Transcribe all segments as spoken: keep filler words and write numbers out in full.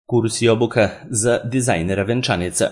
Kurs i obuka za dizajnera venčanica.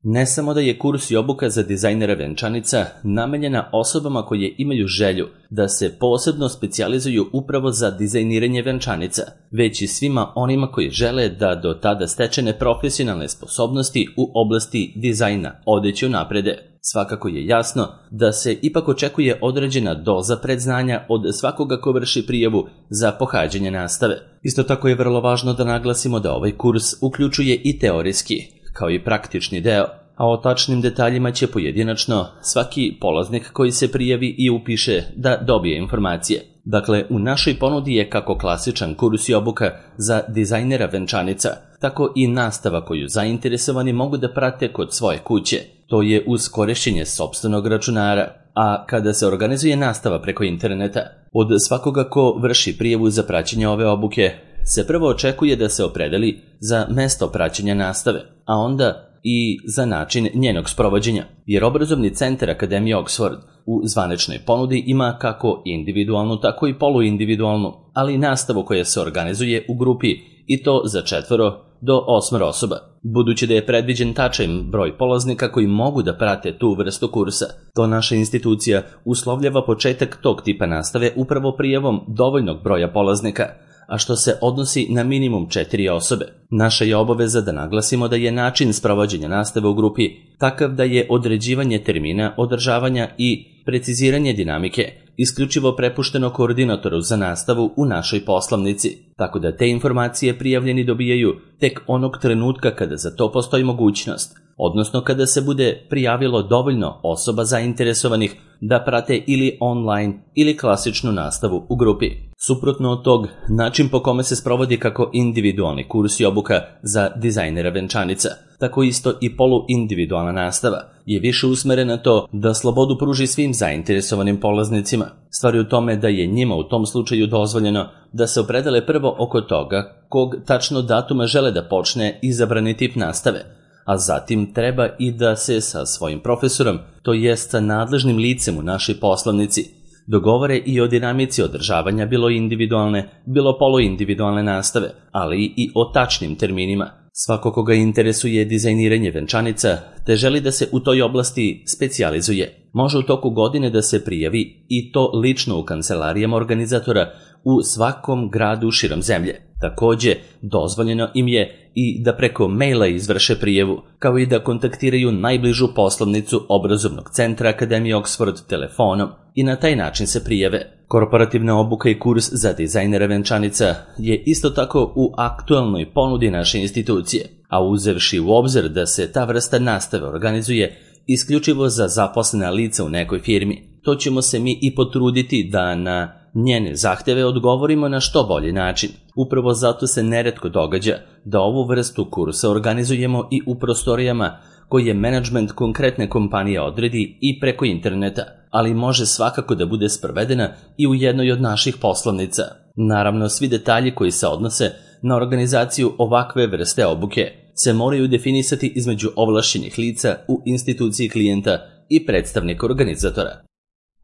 Ne samo da je kurs i obuka za dizajnera venčanica namenjena osobama koje imaju želju da se posebno specijalizuju upravo za dizajniranje venčanica, već i svima onima koji žele da do tada stečene profesionalne sposobnosti u oblasti dizajna odeće unaprede. Svakako je jasno da se ipak očekuje određena doza predznanja od svakoga ko vrši prijavu za pohađanje nastave. Isto tako je vrlo važno da naglasimo da ovaj kurs uključuje i teorijski, kao i praktični deo, a o tačnim detaljima će pojedinačno svaki polaznik koji se prijavi i upiše da dobije informacije. Dakle, u našoj ponudi je kako klasičan kurs i obuka za dizajnera venčanica, tako i nastava koju zainteresovani mogu da prate kod svoje kuće. To je uz korišćenje sopstvenog računara, a kada se organizuje nastava preko interneta, od svakoga ko vrši prijavu za praćenje ove obuke se prvo očekuje da se opredeli za mesto praćenja nastave, a onda i za način njenog sprovođenja, jer obrazovni centar Akademije Oxford u zvaničnoj ponudi ima kako individualnu, tako i poluindividualnu, ali i nastavu koja se organizuje u grupi i to za četvoro do osmoro osoba. Budući da je predviđen tačan broj polaznika koji mogu da prate tu vrstu kursa, to naša institucija uslovljava početak tog tipa nastave upravo prijavom dovoljnog broja polaznika, a što se odnosi na minimum četiri osobe. Naša je obaveza da naglasimo da je način sprovođenja nastave u grupi takav da je određivanje termina, održavanja i preciziranje dinamike isključivo prepušteno koordinatoru za nastavu u našoj poslovnici, tako da te informacije prijavljeni dobijaju tek onog trenutka kada za to postoji mogućnost, odnosno kada se bude prijavilo dovoljno osoba zainteresovanih da prate ili online ili klasičnu nastavu u grupi. Suprotno od tog, način po kome se sprovodi kako individualni kurs i obuka za dizajnera venčanica, tako isto i poluindividualna nastava, je više usmerena na to da slobodu pruži svim zainteresovanim polaznicima. Stvar je u tome da je njima u tom slučaju dozvoljeno da se opredele prvo oko toga kog tačno datuma žele da počne izabrani tip nastave, a zatim treba i da se sa svojim profesorom, to jest sa nadležnim licem u našoj poslovnici, dogovore i o dinamici održavanja bilo individualne, bilo poluindividualne nastave, ali i o tačnim terminima. Svako koga interesuje dizajniranje venčanica te želi da se u toj oblasti specijalizuje, može u toku godine da se prijavi i to lično u kancelarijama organizatora u svakom gradu širom zemlje. Takođe, dozvoljeno im je i da preko maila izvrše prijavu, kao i da kontaktiraju najbližu poslovnicu obrazovnog centra Akademije Oxford telefonom i na taj način se prijave. Korporativna obuka i kurs za dizajnera venčanica je isto tako u aktualnoj ponudi naše institucije, a uzevši u obzir da se ta vrsta nastave organizuje isključivo za zaposlena lica u nekoj firmi, to ćemo se mi i potruditi da na njene zahteve odgovorimo na što bolji način. Upravo zato se neretko događa da ovu vrstu kursa organizujemo i u prostorijama koje menadžment konkretne kompanije odredi i preko interneta, ali može svakako da bude sprovedena i u jednoj od naših poslovnica. Naravno, svi detalji koji se odnose na organizaciju ovakve vrste obuke se moraju definisati između ovlašćenih lica u instituciji klijenta i predstavnika organizatora.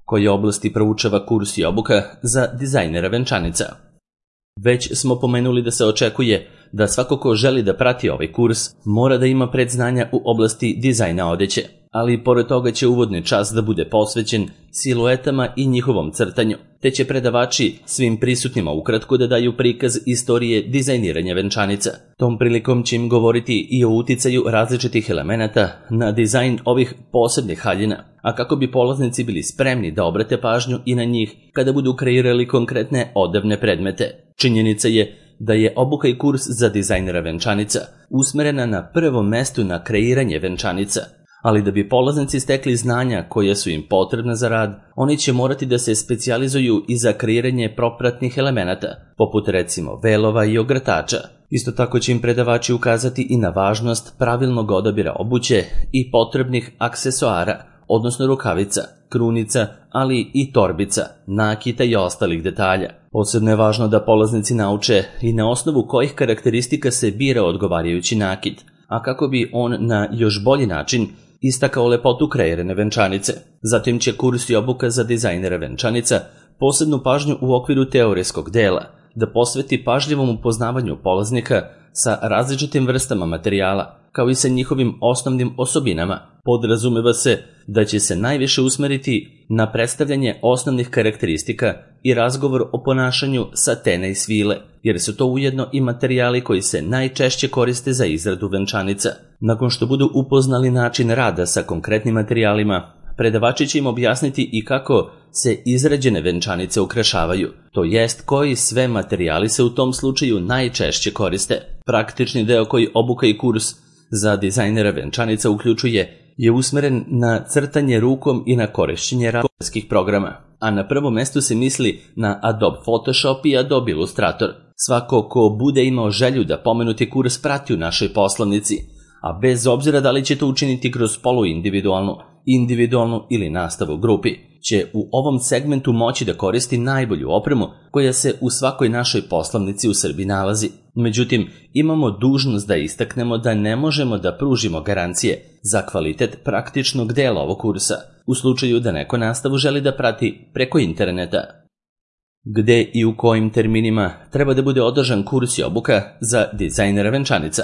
Koje oblasti proučava kurs i obuka za dizajnera venčanica? Već smo pomenuli da se očekuje da svako ko želi da prati ovaj kurs mora da ima predznanja u oblasti dizajna odeće, ali pored toga će uvodni čas da bude posvećen siluetama i njihovom crtanju, te će predavači svim prisutnima ukratko da daju prikaz istorije dizajniranja venčanica. Tom prilikom će im govoriti i o uticaju različitih elemenata na dizajn ovih posebnih haljina, a kako bi polaznici bili spremni da obrate pažnju i na njih kada budu kreirali konkretne odevne predmete. Činjenica je da je obuka i kurs za dizajnera venčanica usmerena na prvom mestu na kreiranje venčanica, ali da bi polaznici stekli znanja koja su im potrebna za rad, oni će morati da se specijalizuju i za kreiranje propratnih elemenata, poput recimo velova i ogrtača. Isto tako će im predavači ukazati i na važnost pravilnog odabira obuće i potrebnih aksesoara, odnosno rukavica, krunica, ali i torbica, nakita i ostalih detalja. Posebno je važno da polaznici nauče i na osnovu kojih karakteristika se bira odgovarajući nakit, a kako bi on na još bolji način istakao lepotu kreirane venčanice. Zatim će kurs i obuka za dizajnera venčanica posebnu pažnju u okviru teorijskog dela da posveti pažljivom upoznavanju polaznika sa različitim vrstama materijala, kao i sa njihovim osnovnim osobinama. Podrazumeva se da će se najviše usmeriti na predstavljanje osnovnih karakteristika i razgovor o ponašanju satena i svile, jer su to ujedno i materijali koji se najčešće koriste za izradu venčanica. Nakon što budu upoznali način rada sa konkretnim materijalima, predavači će im objasniti i kako se izrađene venčanice ukrašavaju, to jest koji sve materijali se u tom slučaju najčešće koriste. Praktični deo koji obuka i kurs za dizajnera venčanica uključuje je usmeren na crtanje rukom i na korišćenje različitih programa, a na prvom mestu se misli na Adobe Photoshop i Adobe Illustrator. Svako ko bude imao želju da pomenuti kurs prati u našoj poslovnici, a bez obzira da li će to učiniti kroz poluindividualnu, individualnu ili nastavu u grupi, će u ovom segmentu moći da koristi najbolju opremu koja se u svakoj našoj poslovnici u Srbiji nalazi. Međutim, imamo dužnost da istaknemo da ne možemo da pružimo garancije za kvalitet praktičnog dela ovog kursa, u slučaju da neko nastavu želi da prati preko interneta. Gde i u kojim terminima treba da bude održan kurs i obuka za dizajnera venčanica?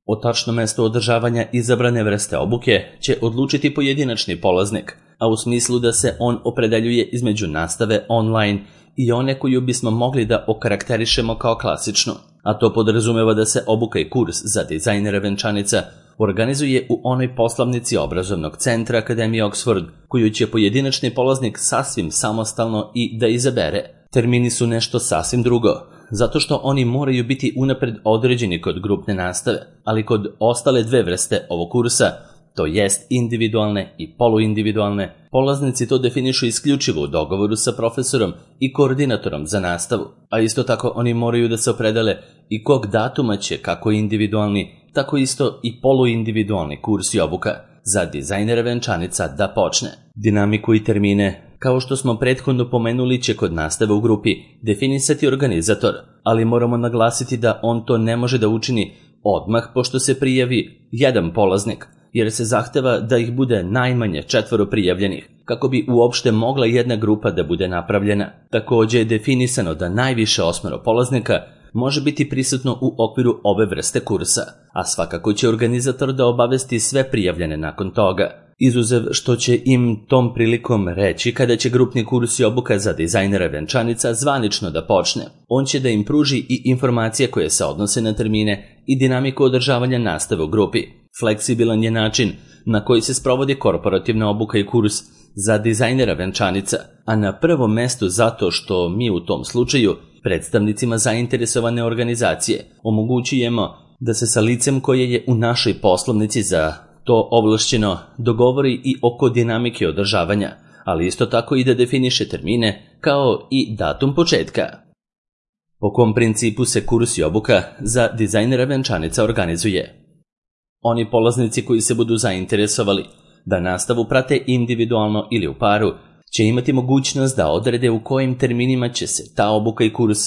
O tačnom mestu održavanja izabrane vrste obuke će odlučiti pojedinačni polaznik, a u smislu da se on opredeljuje između nastave online i one koju bismo mogli da okarakterišemo kao klasičnu, a to podrazumeva da se obuka i kurs za dizajnera venčanica organizuje u onoj poslovnici obrazovnog centra Akademije Oxford, koju će pojedinačni polaznik sasvim samostalno i da izabere. Termini su nešto sasvim drugo, zato što oni moraju biti unapred određeni kod grupne nastave, ali kod ostale dve vrste ovog kursa, to jest individualne i poluindividualne, polaznici to definišu isključivo u dogovoru sa profesorom i koordinatorom za nastavu, a isto tako oni moraju da se opredele i kog datuma će kako individualni, tako isto i poluindividualni kurs i obuka za dizajnera venčanica da počne. Dinamiku i termine, kao što smo prethodno pomenuli, će kod nastave u grupi definisati organizator, ali moramo naglasiti da on to ne može da učini odmah pošto se prijavi jedan polaznik, jer se zahteva da ih bude najmanje četvoro prijavljenih, kako bi uopšte mogla jedna grupa da bude napravljena. Takođe je definisano da najviše osmero polaznika može biti prisutno u okviru ove vrste kursa, a svakako će organizator da obavesti sve prijavljene nakon toga, izuzev što će im tom prilikom reći kada će grupni kurs i obuka za dizajnera venčanica zvanično da počne. On će da im pruži i informacije koje se odnose na termine i dinamiku održavanja nastave u grupi. Fleksibilan je način na koji se sprovodi korporativna obuka i kurs za dizajnera venčanica, a na prvom mestu zato što mi u tom slučaju predstavnicima zainteresovane organizacije omogućujemo da se sa licem koje je u našoj poslovnici za to ovlašćeno dogovori i oko dinamike održavanja, ali isto tako i da definiše termine kao i datum početka. Po kom principu se kurs i obuka za dizajnera venčanica organizuje? Oni polaznici koji se budu zainteresovali da nastavu prate individualno ili u paru će imati mogućnost da odrede u kojim terminima će se ta obuka i kurs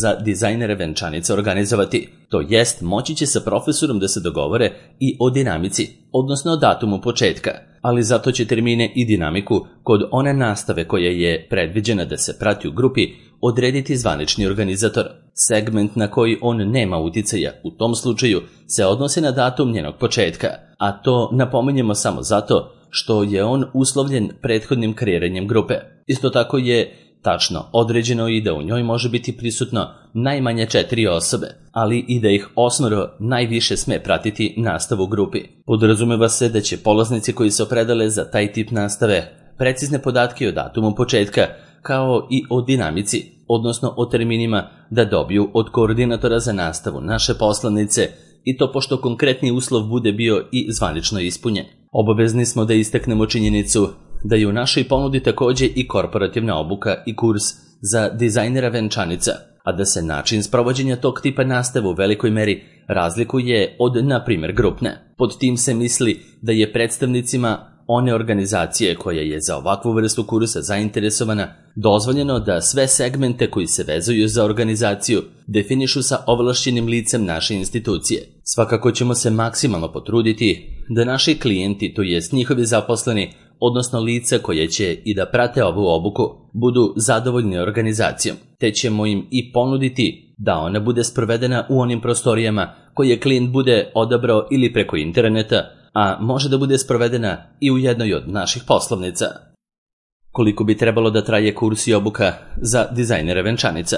za dizajnere venčanica organizovati, to jest moći će sa profesorom da se dogovore i o dinamici, odnosno o datumu početka, ali zato će termine i dinamiku kod one nastave koja je predviđena da se prati u grupi odrediti zvanični organizator. Segment na koji on nema uticaja u tom slučaju se odnosi na datum njenog početka, a to napominjemo samo zato što je on uslovljen prethodnim kreiranjem grupe. Isto tako je tačno određeno i da u njoj može biti prisutno najmanje četiri osobe, ali i da ih osmoro najviše sme pratiti nastavu u grupi. Podrazumeva se da će polaznici koji se opredele za taj tip nastave precizne podatke o datumu početka, kao i o dinamici, odnosno o terminima, da dobiju od koordinatora za nastavu naše poslovnice, i to pošto konkretni uslov bude bio i zvanično ispunjen. Obavezni smo da istaknemo činjenicu da je u našoj ponudi takođe i korporativna obuka i kurs za dizajnera venčanica, a da se način sprovođenja tog tipa nastave u velikoj meri razlikuje od, na primjer, grupne. Pod tim se misli da je predstavnicima one organizacije koja je za ovakvu vrstu kursa zainteresovana dozvoljeno da sve segmente koji se vezuju za organizaciju definišu sa ovlašćenim licem naše institucije. Svakako ćemo se maksimalno potruditi da naši klijenti, to jest njihovi zaposleni, odnosno lica koje će i da prate ovu obuku, budu zadovoljni organizacijom, te ćemo im i ponuditi da ona bude sprovedena u onim prostorijama koje klijent bude odabrao ili preko interneta, a može da bude sprovedena i u jednoj od naših poslovnica. Koliko bi trebalo da traje kurs i obuka za dizajnere venčanica?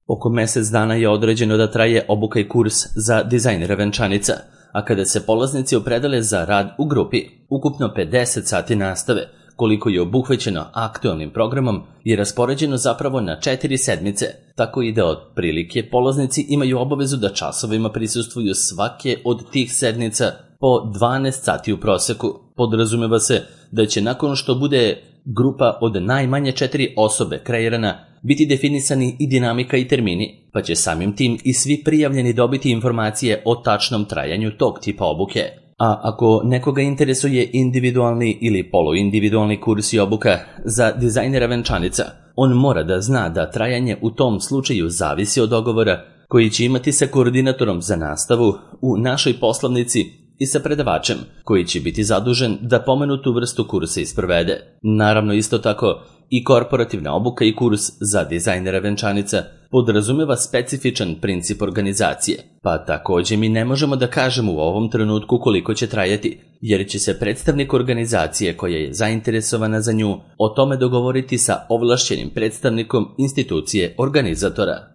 Oko mesec dana je određeno da traje obuka i kurs za dizajnere venčanica, a kada se polaznici opredele za rad u grupi, ukupno pedeset sati nastave, koliko je obuhvaćeno aktualnim programom, je raspoređeno zapravo na četiri sedmice, tako i da otprilike polaznici imaju obavezu da časovima prisustvuju svake od tih sednica po dvanaest sati u proseku. Podrazumeva se da će nakon što bude grupa od najmanje četiri osobe kreirana biti definisani i dinamika i termini, pa će samim tim i svi prijavljeni dobiti informacije o tačnom trajanju tog tipa obuke. A ako nekoga interesuje individualni ili poluindividualni kurs i obuka za dizajnera venčanica, on mora da zna da trajanje u tom slučaju zavisi od dogovora koji će imati sa koordinatorom za nastavu u našoj poslovnici i sa predavačem koji će biti zadužen da pomenutu vrstu kursa isprovede. Naravno, isto tako i korporativna obuka i kurs za dizajnera venčanica podrazumeva specifičan princip organizacije, pa takođe mi ne možemo da kažemo u ovom trenutku koliko će trajati, jer će se predstavnik organizacije koja je zainteresovana za nju o tome dogovoriti sa ovlašćenim predstavnikom institucije organizatora.